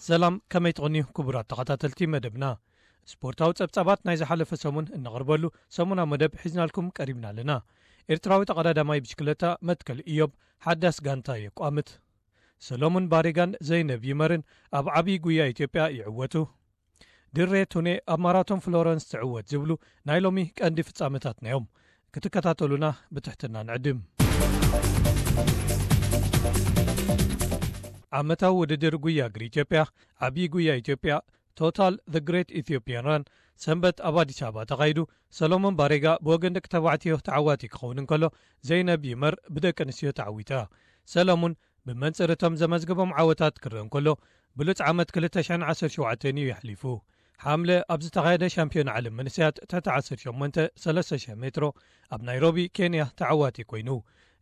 ሰላም፣ ከመይ ትቕንዩ ክቡራት ተኸታተልቲ መደብና? ስፖርታዊ ጸብጻባት ናይ ዝሓለፈ ሰሙን እነቕርበሉ ሰሙናዊ መደብ ሒዝናልኩም ቀሪብና ኣለና። ኤርትራዊ ተቐዳዳማይ ብሽክለታ መትከል ኢዮብ ሓዳስ ጋንታ የቋምት። ሰሎሙን ባሬጋን ዘይነብ ይመርን ኣብ ዓብዪ ጉያ ኢትዮጵያ ይዕወቱ። ድሬ ቱኔ ኣብ ማራቶን ፍሎረንስ ትዕወት ዝብሉ ናይ ሎሚ ቀንዲ ፍጻመታትና እዮም። ክትከታተሉና ብትሕትና ንዕድም። ዓመታዊ ውድድር ጉያ እግሪ ኢትዮጵያ፣ ዓብዪ ጉያ ኢትዮጵያ፣ ቶታል The Great Ethiopian Run፣ ሰንበት ኣብ ኣዲስ ኣበባ ተኻይዱ። ሰሎሞን ባሬጋ ብወገን ደቂ ተባዕትዮ ተዓዋቲ ክኸውን እንከሎ፣ ዘይነብ ይመር ብደቂ ኣንስትዮ ተዓዊታ። ሰሎሙን ብመንጽር እቶም ዘመዝገቦም ዓወታት ክረአ እንከሎ፣ ብሉጽ ዓመት ክልተ ሽሕን ዓሰርተ ሸውዓተን እዩ የሕሊፉ። ሓምለ ኣብ ዝተኻየደ ሻምፒዮን ዓለም መንእሰያት ትሕቲ ዓሰርተ ሸሞንተ ሰለስተ ሽሕ ሜትሮ ኣብ ናይሮቢ ኬንያ ተዓዋቲ ኮይኑ።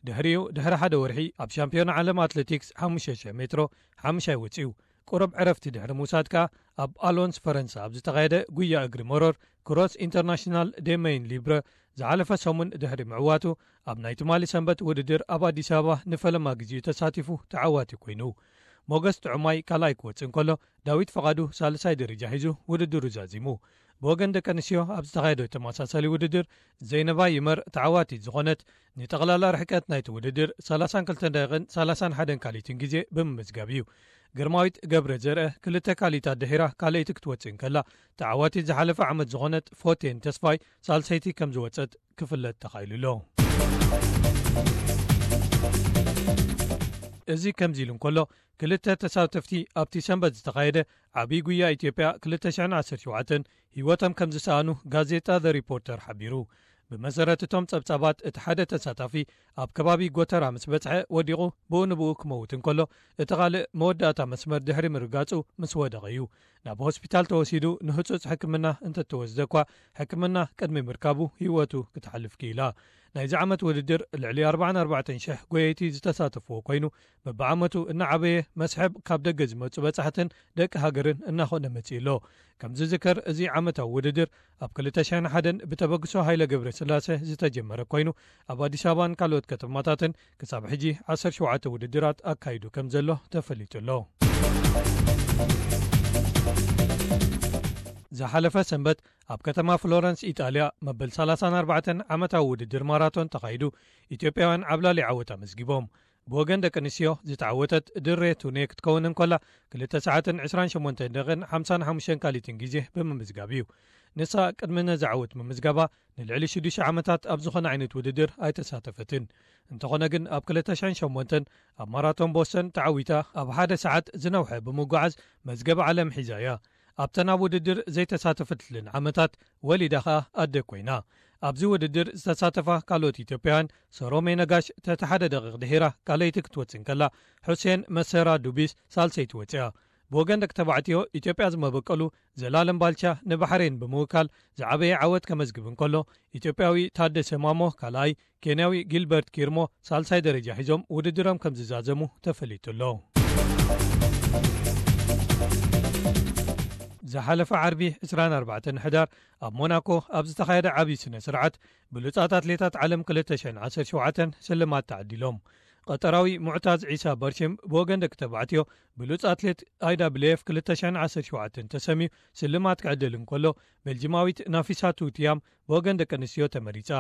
ድሕሪኡ ድሕሪ ሓደ ወርሒ ኣብ ሻምፒዮን ዓለም ኣትሌቲክስ ሓሙሽተ ሽሕ ሜትሮ ሓሙሻይ ወጺኡ። ቁሩብ ዕረፍቲ ድሕሪ ምውሳድ ከኣ ኣብ ኣሎንስ ፈረንሳ ኣብ ዝተኻየደ ጉያ እግሪ መሮር ክሮስ ኢንተርናሽናል ዴመይን ሊብረ ዝሓለፈ ሰሙን ድሕሪ ምዕዋቱ ኣብ ናይ ትማሊ ሰንበት ውድድር ኣብ ኣዲስ ኣበባ ንፈለማ ግዜኡ ተሳቲፉ ተዓዋቲ ኮይኑ። ሞገስ ጥዑማይ ካልኣይ ክወጽእ እንከሎ ዳዊት ፈቓዱ ሳልሳይ ደረጃ ሒዙ ውድድሩ ዛዚሙ። ብወገን ደቂ ኣንስትዮ ኣብ ዝተኻየደ ተመሳሳሊ ውድድር ዘይነባ ይመር ተዓዋቲት ዝኾነት ንጠቕላላ ርሕቀት ናይቲ ውድድር ሰላሳን ክልተን ደቂቕን ሰላሳን ሓደን ካሊትን ግዜ ብምምዝጋብ እዩ። ግርማዊት ገብረ ዘርአ ክልተ ካሊታት ድሒራ ካልኣይቲ ክትወጽእ እንከላ ተዓዋቲት ዝሓለፈ ዓመት ዝኾነት ፎቴን ተስፋይ ሳልሰይቲ ከም ዝወጸት ክፍለጥ ተኻኢሉ ኣሎ። እዚ ከምዚ ኢሉ እንከሎ ክልተ ተሳተፍቲ ኣብቲ ሰንበት ዝተኻየደ ዓብዪ ጉያ ኢትዮጵያ ክልተ ሽሕን ዓሰርተ ሸውዓተን ህይወቶም ከም ዝሰኣኑ ጋዜጣ ዘ ሪፖርተር ሓቢሩ። ብመሰረት እቶም ጸብጻባት እቲ ሓደ ተሳታፊ ኣብ ከባቢ ጎተራ ምስ በጽሐ ወዲቑ ብኡ ንብኡ ክመውት እንከሎ እቲ ካልእ መወዳእታ መስመር ድሕሪ ምርጋጹ ምስ ወደቐ እዩ ናብ ሆስፒታል ተወሲዱ ንህጹጽ ሕክምና እንተተወስደ እኳ ሕክምና ቅድሚ ምርካቡ ህይወቱ ክትሓልፍ ክኢላ። ናይዚ ዓመት ውድድር ልዕሊ ኣርባዓን ኣርባዕተን ሽሕ ጎየይቲ ዝተሳተፍዎ ኮይኑ በብዓመቱ እናዓበየ መስሕብ ካብ ደገ ዝመጹ በጻሕትን ደቂ ሃገርን እናኾነ መጺኡ ኣሎ። ከም ዝዝከር እዚ ዓመታዊ ውድድር ኣብ ክልተ ሽሕን ሓደን ብተበግሶ ሃይለ ገብረስላሴ ዝተጀመረ ኮይኑ ኣብ ኣዲስ ኣበባን ካልኦት ከተማታትን ክሳብ ሕጂ ዓሰርተ ሸውዓተ ውድድራት ኣካይዱ ከም ዘሎ ተፈሊጡ ኣሎ። ዝሓለፈ ሰንበት ኣብ ከተማ ፍሎረንስ ኢጣልያ መበል ሰላሳን ኣርባዕተን ዓመታዊ ውድድር ማራቶን ተኻይዱ ኢትዮጵያውያን ዓብላሊ ዓወት ኣመዝጊቦም። ብወገን ደቂ ኣንስትዮ ዝተዓወተት ድሬ ቱኔ ክትከውን እንከላ ክልተ ሰዓትን ዕስራን ሸሞንተን ደቂቕን ሓምሳን ሓሙሽተን ካሊትን ግዜ ብምምዝጋብ እዩ። ንሳ ቅድሚ ነዚ ዓወት ምምዝጋባ ንልዕሊ ሽዱሽተ ዓመታት ኣብ ዝኾነ ዓይነት ውድድር ኣይተሳተፈትን። እንተኾነ ግን ኣብ ክልተ ሽሕን ሸሞንተን ኣብ ማራቶን ቦስተን ተዓዊታ ኣብ ሓደ ሰዓት ዝነውሐ ብምጉዓዝ መዝገብ ዓለም ሒዛ እያ። ኣብተን ኣብ ውድድር ዘይተሳተፈትለን ዓመታት ወሊዳ ኸኣ ኣደ ኮይና። ኣብዚ ውድድር ዝተሳተፋ ካልኦት ኢትዮጵያውያን ሰሮሜ ነጋሽ ተቲ ሓደ ደቂቕ ድሒራ ካልኣይቲ ክትወጽእ እንከላ፣ ሑሴን መሰራ ዱቢስ ሳልሰይቲ ወጺኣ። ብወገን ደቂ ተባዕትዮ ኢትዮጵያ ዝመበቀሉ ዘላለም ባልቻ ንባሕሬን ብምውካል ዝዓበየ ዓወት ከመዝግብ እንከሎ፣ ኢትዮጵያዊ ታደሰ ማሞ ካልኣይ፣ ኬንያዊ ጊልበርት ኪርሞ ሳልሳይ ደረጃ ሒዞም ውድድሮም ከም ዝዛዘሙ ተፈሊጡ ኣሎ። ዝሓለፈ ዓርቢ ዕስራን ኣርባዕተን ሕዳር ኣብ ሞናኮ ኣብ ዝተኻየደ ዓብዪ ስነ ስርዓት ብሉጻት ኣትሌታት ዓለም ክልተ ሽሕን ዓሰርተ ሸውዓተን ስልማት ተዓዲሎም። ቀጠራዊ ሙዕታዝ ዒሳ በርሽም ብወገን ደቂ ተባዕትዮ ብሉጽ ኣትሌት ኣይ ዳብልዩ ኤፍ ክልተ ሽሕን ዓሰርተ ሸውዓተን ተሰምዩ ስልማት ክዕደል እንከሎ፣ ቤልጂማዊት ናፊሳቱ ቲያም ብወገን ደቂ ኣንስትዮ ተመሪጻ።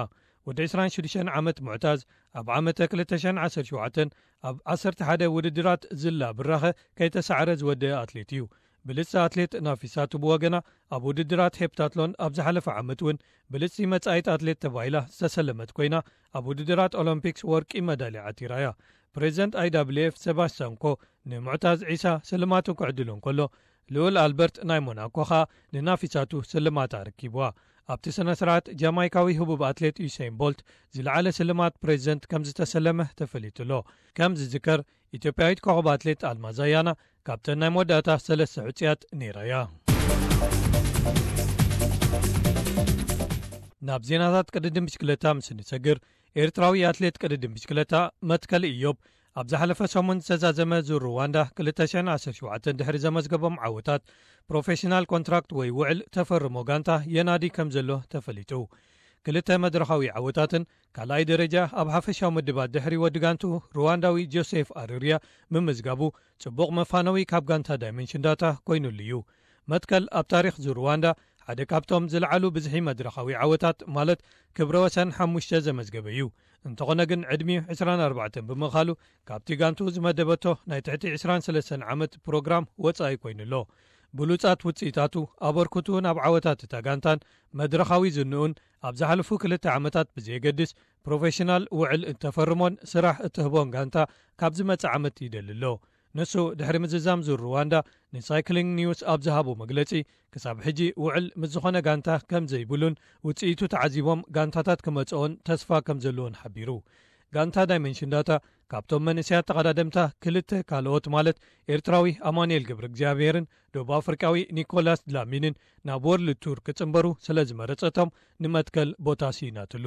ወዲ ዕስራን ሽዱሽተን ዓመት ሙዕታዝ ኣብ ዓመተ ክልተ ሽሕን ዓሰርተ ሸውዓተን ኣብ ዓሰርተ ሓደ ውድድራት ዝላ ብራኸ ከይተሳዕረ ዝወደአ ኣትሌት እዩ። ብልጽቲ ኣትሌት ናፊሳቱ ብወገና ኣብ ውድድራት ሄፕታትሎን ኣብ ዝሓለፈ ዓመት እውን ብልጽቲ መጻኢት ኣትሌት ተባሂላ ዝተሰለመት ኮይና ኣብ ውድድራት ኦሎምፒክስ ወርቂ መዳልያ ዓቲራ እያ። ፕሬዚደንት ኣይ ዳብልዩ ኤፍ ሴባስቲያን ኮ ንሙዕታዝ ዒሳ ስልማቱ ክዕድሎ እንከሎ ልኡል ኣልበርት ናይ ሞናኮ ኸኣ ንናፊሳቱ ስልማት ኣረኪብዋ። ኣብቲ ስነ ስርዓት ጃማይካዊ ህቡብ ኣትሌት ዩሴን ቦልት ዝለዓለ ስልማት ፕሬዚደንት ከም ዝተሰለመ ተፈሊጡ ኣሎ። ከም ዝዝከር ኢትዮጵያዊት ኮኸብ ኣትሌት ኣልማዝ ኣያና ካብተን ናይ መወዳእታ ሰለስተ ሕጹያት ነይራ እያ። ናብ ዜናታት ቅድድም ብሽክለታ ምስ እንሰግር ኤርትራዊ ኣትሌት ቅድድም ብሽክለታ መትከል ኢዮብ ኣብ ዝሓለፈ ሰሙን ዝተዛዘመ ዙር ሩዋንዳ ክልተ ሽሕን ዓሰርተ ሸውዓተን ድሕሪ ዘመዝገቦም ዓወታት ፕሮፌሽናል ኮንትራክት ወይ ውዕል ተፈርሞ ጋንታ የናዲ ከም ዘሎ ተፈሊጡ። ክልተ መድረኻዊ ዓወታትን ካልኣይ ደረጃ ኣብ ሓፈሻዊ ምድባት ድሕሪ ወዲ ጋንቱ ሩዋንዳዊ ጆሴፍ ኣርርያ ምምዝጋቡ ጽቡቕ መፋነዊ ካብ ጋንታ ዳይመንሽን ዳታ ኮይኑሉ እዩ። መትከል ኣብ ታሪኽ ዙር ሩዋንዳ ሓደ ካብቶም ዝለዓሉ ብዝሒ መድረኻዊ ዓወታት ማለት ክብረ ወሰን ሓሙሽተ ዘመዝገበ እዩ። እንተኾነ ግን ዕድሚኡ ዕስራን ኣርባዕተን ብምኻሉ ካብቲ ጋንቱ ዝመደበቶ ናይ ትሕቲ ዕስራን ሰለስተን ዓመት ፕሮግራም ወጻኢ ኮይኑ ኣሎ። ብሉጻት ውጽኢታቱ ኣበርክቱ ናብ ዓወታት እታ ጋንታን መድረኻዊ ዝንኡን ኣብ ዝሓለፉ ክልተ ዓመታት ብዘየገድስ ፕሮፌሽናል ውዕል እተፈርሞን ስራሕ እትህቦን ጋንታ ካብ ዝመጽእ ዓመት ይደሊ ኣሎ። ንሱ ድሕሪ ምዝዛም ዙር ሩዋንዳ ንሳይክሊንግ ኒውስ ኣብ ዝሃቦ መግለጺ ክሳብ ሕጂ ውዕል ምስ ዝኾነ ጋንታ ከም ዘይብሉን ውጽኢቱ ተዓዚቦም ጋንታታት ክመጽኦን ተስፋ ከም ዘለዎን ሓቢሩ። ጋንታ ዳይመንሽን ዳታ ካብቶም መንእሰያት ተቐዳደምታ ክልተ ካልኦት ማለት ኤርትራዊ ኣማኑኤል ገብረ እግዚኣብሔርን ደቡብ ኣፍሪቃዊ ኒኮላስ ድላሚንን ናብ ወርልድ ቱር ክጽንበሩ ስለ ዝመረጸቶም ንመትከል ቦታ ስኢናትሉ።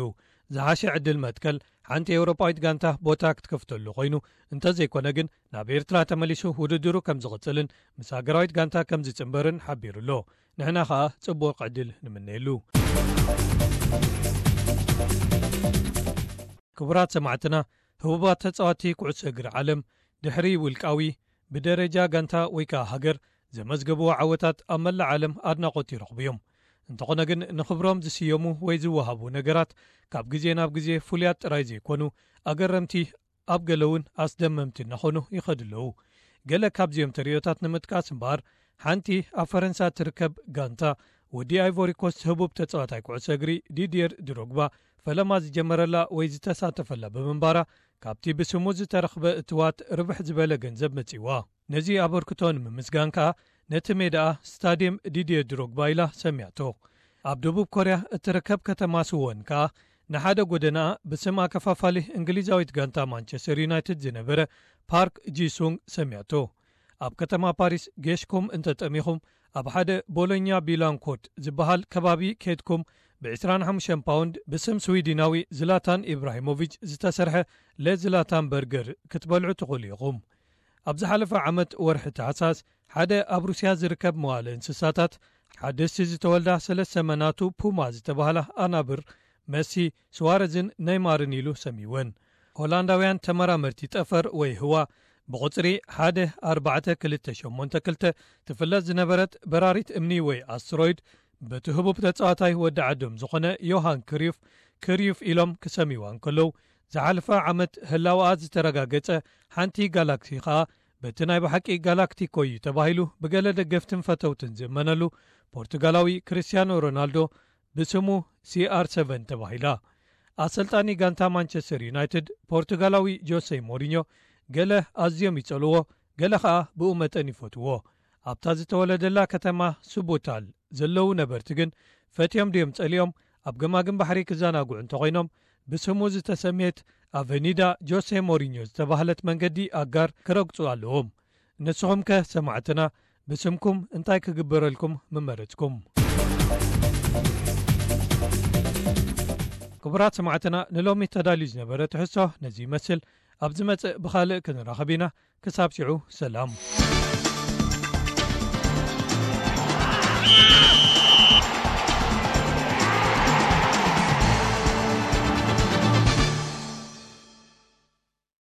ዝሓሸ ዕድል መትከል ሓንቲ ኤውሮጳዊት ጋንታ ቦታ ክትከፍተሉ ኮይኑ እንተዘይኮነ ግን ናብ ኤርትራ ተመሊሱ ውድድሩ ከም ዝቕጽልን ምስ ሃገራዊት ጋንታ ከም ዝጽንበርን ሓቢሩ ኣሎ። ንሕና ኸኣ ጽቡቕ ዕድል ንምነየሉ። ክቡራት ሰማዕትና፣ ህቡባት ተጻዋቲ ኩዕሶ እግሪ ዓለም ድሕሪ ውልቃዊ ብደረጃ ጋንታ ወይ ከኣ ሃገር ዘመዝገብዎ ዓወታት ኣብ መላእ ዓለም ኣድናቖት ይረኽቡ እዮም። እንተኾነ ግን ንኽብሮም ዝስየሙ ወይ ዝወሃቡ ነገራት ካብ ግዜ ናብ ግዜ ፍሉያት ጥራይ ዘይኮኑ ኣገረምቲ ኣብ ገለ እውን ኣስደመምቲ እናኾኑ ይኸዱ ኣለዉ። ገለ ካብዚኦም ተርእዮታት ንምጥቃስ እምበኣር ሓንቲ ኣብ ፈረንሳ ትርከብ ጋንታ ወዲ ኣይቮሪኮስት ህቡብ ተጻዋታይ ኩዕሶ እግሪ ዲድየር ድሮግባ ፈለማ ዝጀመረላ ወይ ዝተሳተፈላ ብምንባራ ካብቲ ብስሙ ዝተረኽበ እትዋት ርብሕ ዝበለ ገንዘብ መጺዋ። ነዚ ኣበርክቶ ንምምስጋን ከኣ ነቲ ሜዳኣ ስታድየም ዲድየ ድሮግባ ኢላ ሰሚያቶ። ኣብ ደቡብ ኮርያ እትርከብ ከተማ ስወን ከኣ ንሓደ ጎደናኣ ብስም ኣከፋፋሊ እንግሊዛዊት ጋንታ ማንቸስተር ዩናይትድ ዝነበረ ፓርክ ጂሱንግ ሰሚያቶ። ኣብ ከተማ ፓሪስ ጌሽኩም እንተጠሚኹም ኣብ ሓደ ቦሎኛ ቢላንኮት ዝበሃል ከባቢ ኬድኩም ብ ዕስራን ሓሙሽተን ፓውንድ ብስም ስዊድናዊ ዝላታን ኢብራሂሞቪች ዝተሰርሐ ለዝላታን በርገር ክትበልዑ ትኽእሉ ኢኹም። ኣብ ዝሓለፈ ዓመት ወርሒ ታሕሳስ ሓደ ኣብ ሩስያ ዝርከብ መዋለ እንስሳታት ሓደስቲ ዝተወልዳ ሰለስተ መናቱ ፑማ ዝተባህላ ኣናብር መሲ፣ ስዋረዝን ነይማርን ኢሉ ሰሚወን። ሆላንዳውያን ተመራመርቲ ጠፈር ወይ ህዋ ብቑጽሪ ሓደ ኣርባዕተ ክልተ ሸሞንተ ክልተ ትፍለጥ ዝነበረት በራሪት እምኒ ወይ ኣስትሮይድ በቲ ህቡብ ተጻዋታይ ወዲ ዓዶም ዝኾነ ዮሃን ክሪዩፍ ክሪዩፍ ኢሎም ክሰምይዋ እንከለዉ ዝሓለፈ ዓመት ህላወኣ ዝተረጋገጸ ሓንቲ ጋላክሲ ኸኣ በቲ ናይ ብሓቂ ጋላክቲኮ እዩ ተባሂሉ ብገለ ደገፍትን ፈተውትን ዝእመነሉ ፖርቱጋላዊ ክርስቲያኖ ሮናልዶ ብስሙ ሲኣር ሰቨን ተባሂላ። ኣሰልጣኒ ጋንታ ማንቸስተር ዩናይትድ ፖርቱጋላዊ ጆሴ ሞሪኞ ገለ ኣዝዮም ይጸልዎ፣ ገለ ኸኣ ብኡ መጠን ይፈትዎ። ኣብታ ዝተወለደላ ከተማ ሱቡታል ዘለዉ ነበርቲ ግን ፈትዮም ድዮም ጸሊኦም ኣብ ገማግም ባሕሪ ክዘናግዑ እንተኾይኖም ብስሙ ዝተሰምየት ኣቨኒዳ ጆሴ ሞሪኞ ዝተባህለት መንገዲ ኣጋር ክረግጹ ኣለዎም። ንስኹም ከ ሰማዕትና ብስምኩም እንታይ ክግበረልኩም ምመረጽኩም? ክቡራት ሰማዕትና ንሎሚ ተዳልዩ ዝነበረ ትሕዝቶ ነዚ ይመስል። ኣብ ዝመጽእ ብኻልእ ክንራኸብ ኢና። ክሳብ ሽዑ ሰላም።